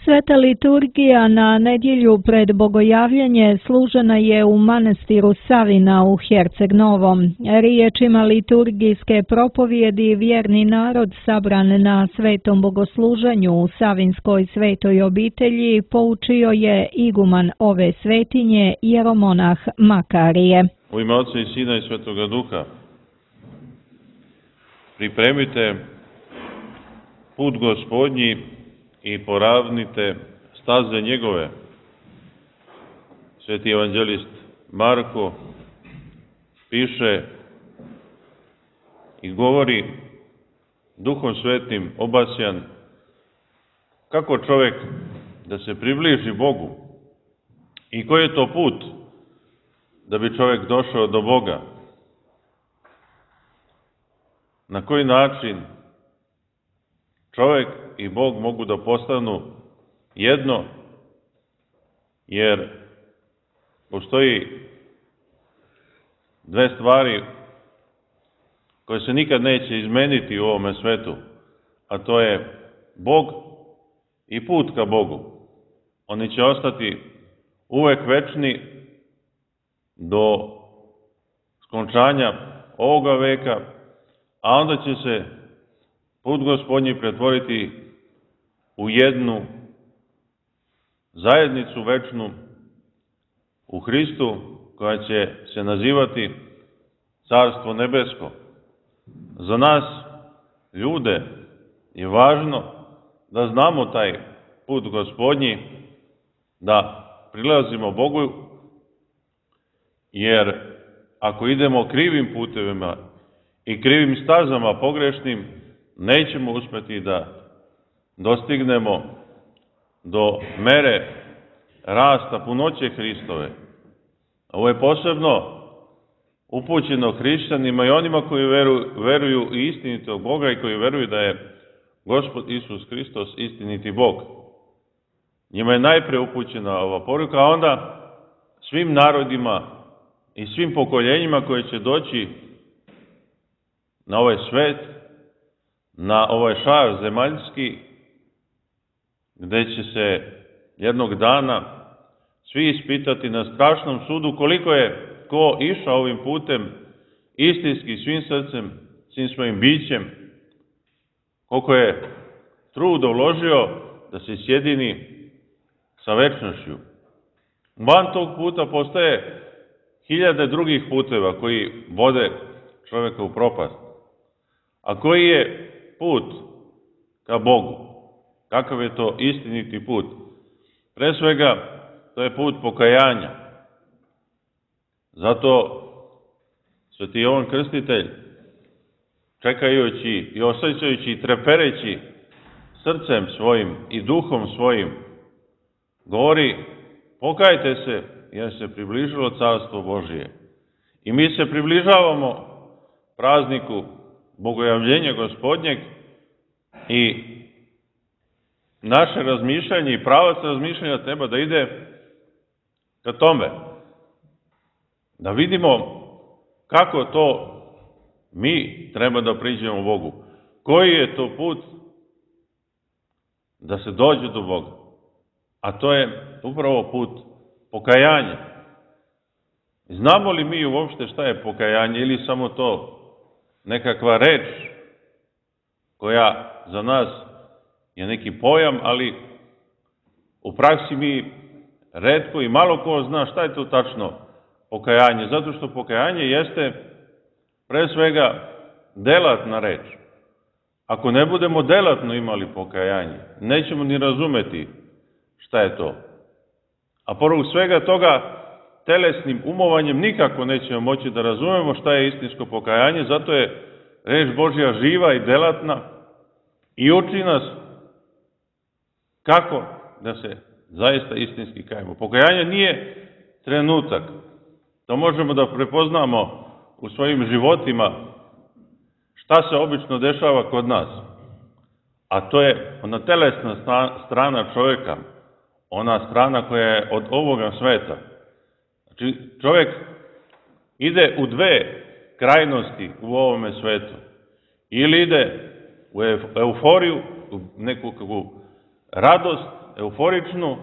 Sveta liturgija na nedjelju pred bogojavljanje služena je u manastiru Savina u Herceg Novom. Riječima liturgijske propovjedi vjerni narod sabran na svetom bogosluženju u Savinskoj svetoj obitelji poučio je iguman ove svetinje jeromonah Makarije. U ime Oca i Sina i Svetoga Duha, pripremite put Gospodnji i poravnite staze njegove. Sveti evanđelist Marko piše i govori Duhom Svetim obasjan kako čovjek da se približi Bogu i koji je to put da bi čovjek došao do Boga. Na koji način čovjek i Bog mogu da postanu jedno, jer postoji dve stvari koje se nikad neće izmeniti u ovome svetu, a to je Bog i put ka Bogu. Oni će ostati uvek večni do skončanja ovoga veka, a onda će se put Gospodnji pretvoriti u jednu zajednicu večnu u Hristu, koja će se nazivati Carstvo nebesko. Za nas, ljude, je važno da znamo taj put Gospodnji, da prilazimo Bogu, jer ako idemo krivim putevima i krivim stazama pogrešnim, nećemo uspjeti da dostignemo do mere rasta punoće Hristove. Ovo je posebno upućeno hrišćanima i onima koji veruju i istinitog Boga i koji veruju da je Gospod Isus Hristos istiniti Bog. Njima je najpre upućena ova poruka, a onda svim narodima i svim pokoljenjima koje će doći na ovaj svet, na ovaj šar zemaljski, gde će se jednog dana svi ispitati na strašnom sudu koliko je ko išao ovim putem istinski svim srcem, svim svojim bićem, koliko je truda uložio da se sjedini sa večnošću. Van tog puta postoje hiljade drugih puteva koji vode čovjeka u propast. A koji je put ka Bogu? Kakav je to istiniti put? Pre svega, to je put pokajanja. Zato Sveti Jovan Krstitelj, čekajući i osjećajući i trepereći srcem svojim i duhom svojim, govori: pokajte se, jer se približilo Carstvo Božije. I mi se približavamo prazniku Bogojavljenja Gospodnjeg i naše razmišljanje i pravac razmišljanja treba da ide ka tome. Da vidimo kako to mi treba da priđemo Bogu. Koji je to put da se dođe do Boga? A to je upravo put pokajanja. Znamo li mi uopšte šta je pokajanje ili samo to nekakva reč koja za nas je neki pojam, ali u praksi mi retko i malo ko zna šta je to tačno pokajanje, zato što pokajanje jeste pre svega delatna reč. Ako ne budemo delatno imali pokajanje, nećemo ni razumeti šta je to. A pored svega toga, telesnim umovanjem nikako nećemo moći da razumemo šta je istinsko pokajanje, zato je reč Božja živa i delatna i uči nas kako da se zaista istinski kajemo. Pokajanje nije trenutak. To možemo da prepoznamo u svojim životima šta se obično dešava kod nas. A to je ona telesna strana čovjeka, ona strana koja je od ovoga sveta. Znači, čovjek ide u dve krajnosti u ovome svetu. Ili ide u euforiju, u nekakvu radost euforičnu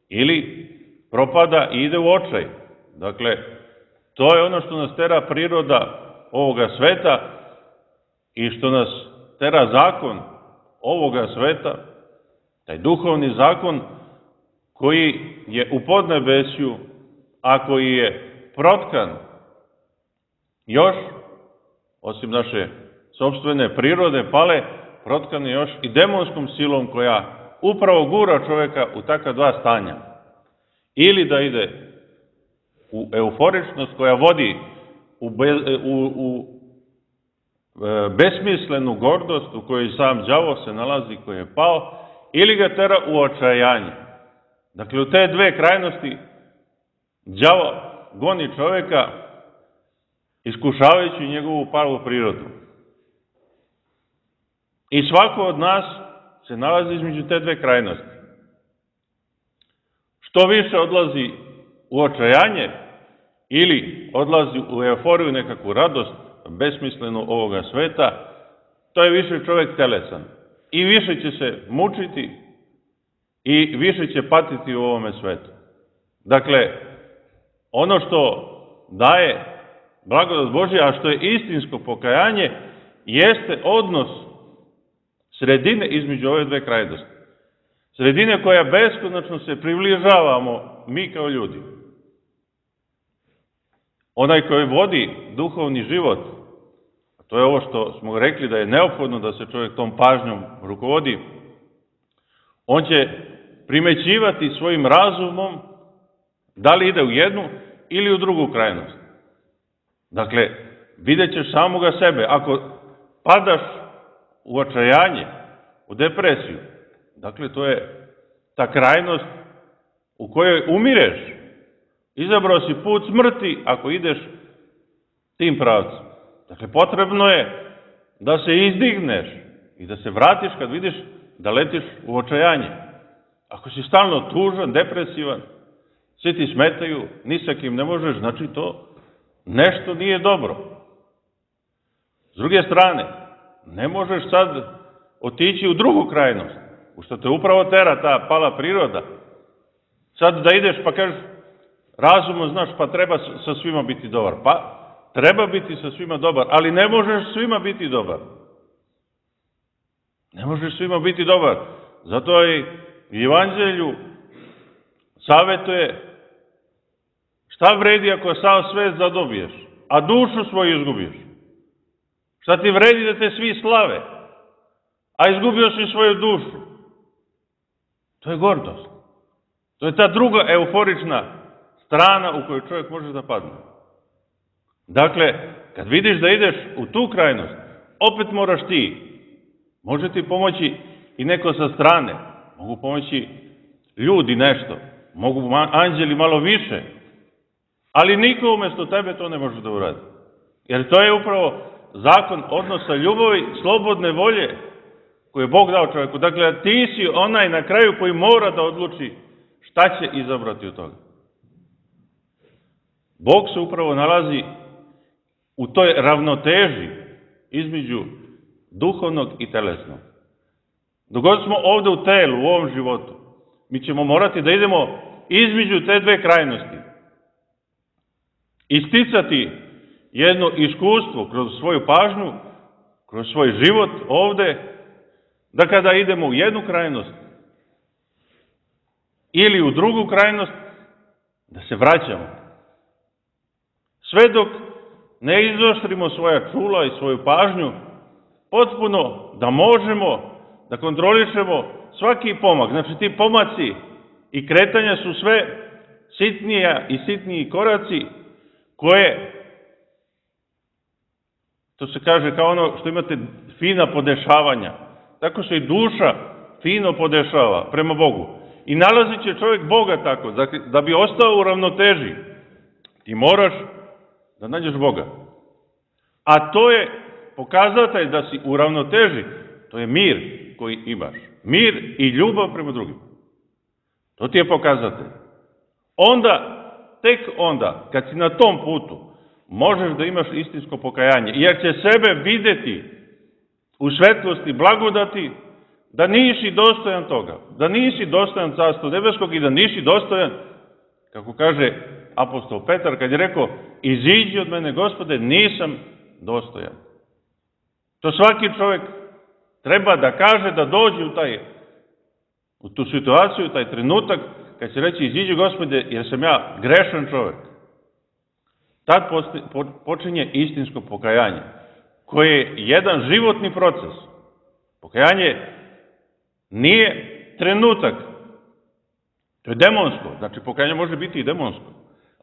ili propada i ide u očaj. Dakle, to je ono što nas tera priroda ovoga sveta i što nas tera zakon ovoga sveta, taj duhovni zakon koji je u podnebesju, a koji je protkan još, osim naše sopstvene prirode pale, protkan je još i demonskom silom koja upravo gura čovjeka u takva dva stanja. Ili da ide u euforičnost koja vodi u besmislenu gordost u kojoj sam đavo se nalazi, koji je pao, ili ga tera u očajanje. Dakle, u te dve krajnosti đavo goni čovjeka iskušavajući njegovu palu prirodu. I svako od nas se nalazi između te dve krajnosti. Što više odlazi u očajanje ili odlazi u euforiju, nekakvu radost besmislenu ovoga sveta, to je više čovjek telesan. I više će se mučiti i više će patiti u ovome svetu. Dakle, ono što daje blagodat Božja, a što je istinsko pokajanje, jeste odnos sredine između ove dve krajnosti. Sredine koja beskonačno se približavamo mi kao ljudi. Onaj koji vodi duhovni život, a to je ovo što smo rekli da je neophodno da se čovjek tom pažnjom rukovodi, on će primećivati svojim razumom da li ide u jednu ili u drugu krajnost. Dakle, vidjet ćeš samoga sebe. Ako padaš u očajanje, u depresiju, dakle, to je ta krajnost u kojoj umireš. Izabrao si put smrti ako ideš tim pravcem. Dakle, potrebno je da se izdigneš i da se vratiš kad vidiš da letiš u očajanje. Ako si stalno tužan, depresivan, svi ti smetaju, ni sa kim ne možeš, znači to nešto nije dobro. S druge strane, ne možeš sad otići u drugu krajnost, u što te upravo tera ta pala priroda. Sad da ideš pa kažeš, razumom znaš pa treba sa svima biti dobar. Pa treba biti sa svima dobar, ali ne možeš svima biti dobar. Ne možeš svima biti dobar. Zato i Evanđelju savjetuje šta vredi ako sav svet zadobiješ, a dušu svoju izgubiš. Šta ti vredi da te svi slave, a izgubio si svoju dušu. To je gordost. To je ta druga euforična strana u kojoj čovjek može da padne. Dakle, kad vidiš da ideš u tu krajnost, opet moraš ti. Može ti pomoći i neko sa strane. Mogu pomoći ljudi nešto. Mogu anđeli malo više. Ali niko umjesto tebe to ne može da uradi. Jer to je upravo zakon odnosa ljubavi, slobodne volje koju je Bog dao čovjeku. Dakle, ti si onaj na kraju koji mora da odluči šta će izabrati od toga. Bog se upravo nalazi u toj ravnoteži između duhovnog i telesnog. Dok god smo ovdje u telu, u ovom životu, mi ćemo morati da idemo između te dve krajnosti. Isticati jedno iskustvo kroz svoju pažnju, kroz svoj život ovdje, da kada idemo u jednu krajnost ili u drugu krajnost, da se vraćamo. Sve dok ne izoštrimo svoja čula i svoju pažnju, potpuno da možemo da kontrolišemo svaki pomak. Znači ti pomaci i kretanja su sve sitnija i sitniji koraci koje, to se kaže kao ono što imate fina podešavanja, tako se i duša fino podešava prema Bogu. I nalazit će čovjek Boga tako, da bi ostao u ravnoteži. Ti moraš da nađeš Boga. A to je pokazatelj da si u ravnoteži, to je mir koji imaš. Mir i ljubav prema drugim. To ti je pokazatelj. Onda, tek onda, kad si na tom putu, možeš da imaš istinsko pokajanje. Jer će sebe videti u svetlosti blagodati, da nisi dostojan toga, da nisi dostojan Carstva nebeskog i da nisi dostojan, kako kaže apostol Petar, kad je rekao, iziđi od mene, Gospode, nisam dostojan. To svaki čovjek treba da kaže, da dođe u tu situaciju, taj trenutak, kad će reći, iziđi, Gospode, jer sam ja grešan čovjek. Tad počinje istinsko pokajanje, koje je jedan životni proces. Pokajanje nije trenutak, to je demonsko, znači pokajanje može biti i demonsko,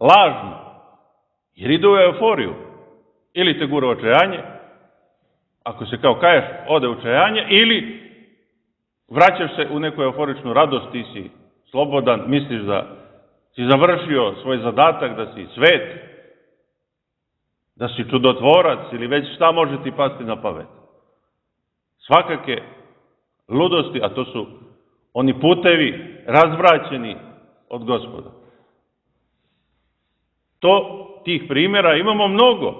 lažno, jer ide u euforiju, ili te gura očajanje, ako se kao kaješ, ode u očajanje, ili vraćaš se u neku euforičnu radost, ti si slobodan, misliš da si završio svoj zadatak, da si svet, da si čudotvorac, ili već šta može ti pasti na pamet. Svakake ludosti, a to su oni putevi razvraćeni od Gospoda. Tih primjera imamo mnogo.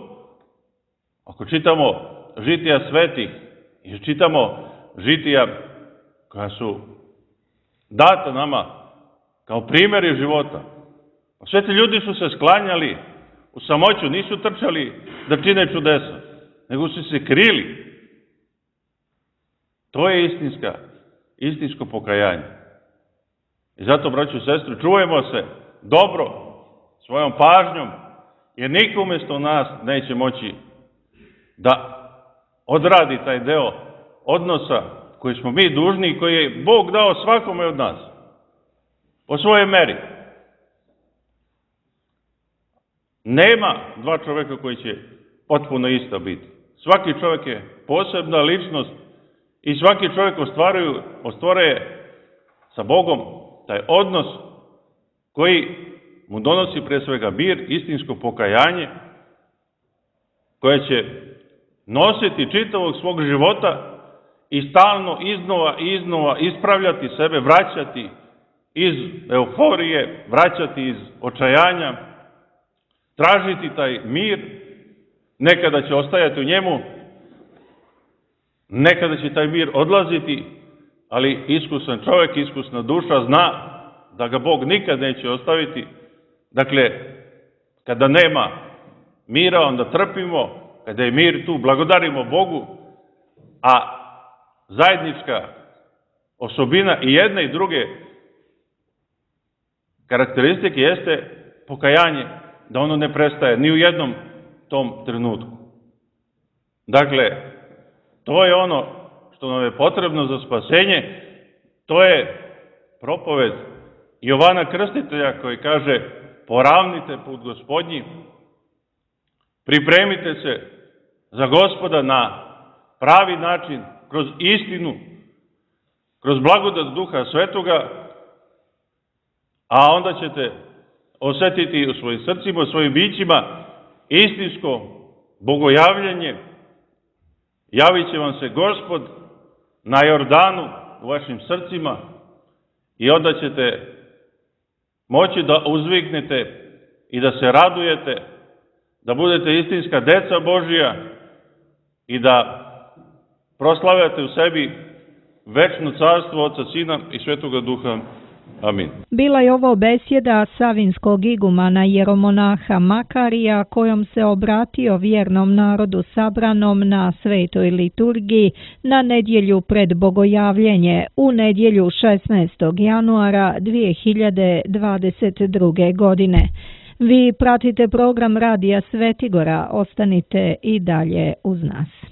Ako čitamo žitija svetih i čitamo žitija koja su data nama kao primjeri života, sve ti ljudi su se sklanjali u samoću, nisu trčali da čine čudesa, nego su se krili. To je istinsko pokajanje. I zato, braćo i sestre, čuvajmo se dobro, svojom pažnjom, jer niko umjesto nas neće moći da odradi taj deo odnosa koji smo mi dužni i koji je Bog dao svakome od nas, po svojoj meri. Nema dva čovjeka koji će potpuno isto biti. Svaki čovjek je posebna ličnost i svaki čovjek ostvaruje sa Bogom taj odnos koji mu donosi pre svega mir, istinsko pokajanje, koje će nositi čitavog svog života i stalno iznova ispravljati sebe, vraćati iz euforije, vraćati iz očajanja, tražiti taj mir, nekada će ostajati u njemu, nekada će taj mir odlaziti, ali iskusan čovjek, iskusna duša zna da ga Bog nikad neće ostaviti. Dakle, kada nema mira, onda trpimo, kada je mir tu, blagodarimo Bogu, a zajednička osobina i jedne i druge karakteristike jeste pokajanje, da ono ne prestaje ni u jednom tom trenutku. Dakle, to je ono što nam je potrebno za spasenje, to je propoved Jovana Krstitelja koji kaže, poravnite put Gospodnji, pripremite se za Gospoda na pravi način, kroz istinu, kroz blagodat Duha Svetoga, a onda ćete osjetiti u svojim srcima, u svojim bićima istinsko bogojavljenje. Javit će vam se Gospod na Jordanu u vašim srcima i onda ćete moći da uzviknete i da se radujete, da budete istinska deca Božija i da proslavljate u sebi večno carstvo Oca, Sina i Svetoga Duha. Amin. Bila je ovo besjeda savinskog igumana jeromonaha Makarija, kojom se obratio vjernom narodu sabranom na svetoj liturgiji na nedjelju pred bogojavljenje u nedjelju 16. januara 2022. godine. Vi pratite program Radija Svetigora, ostanite i dalje uz nas.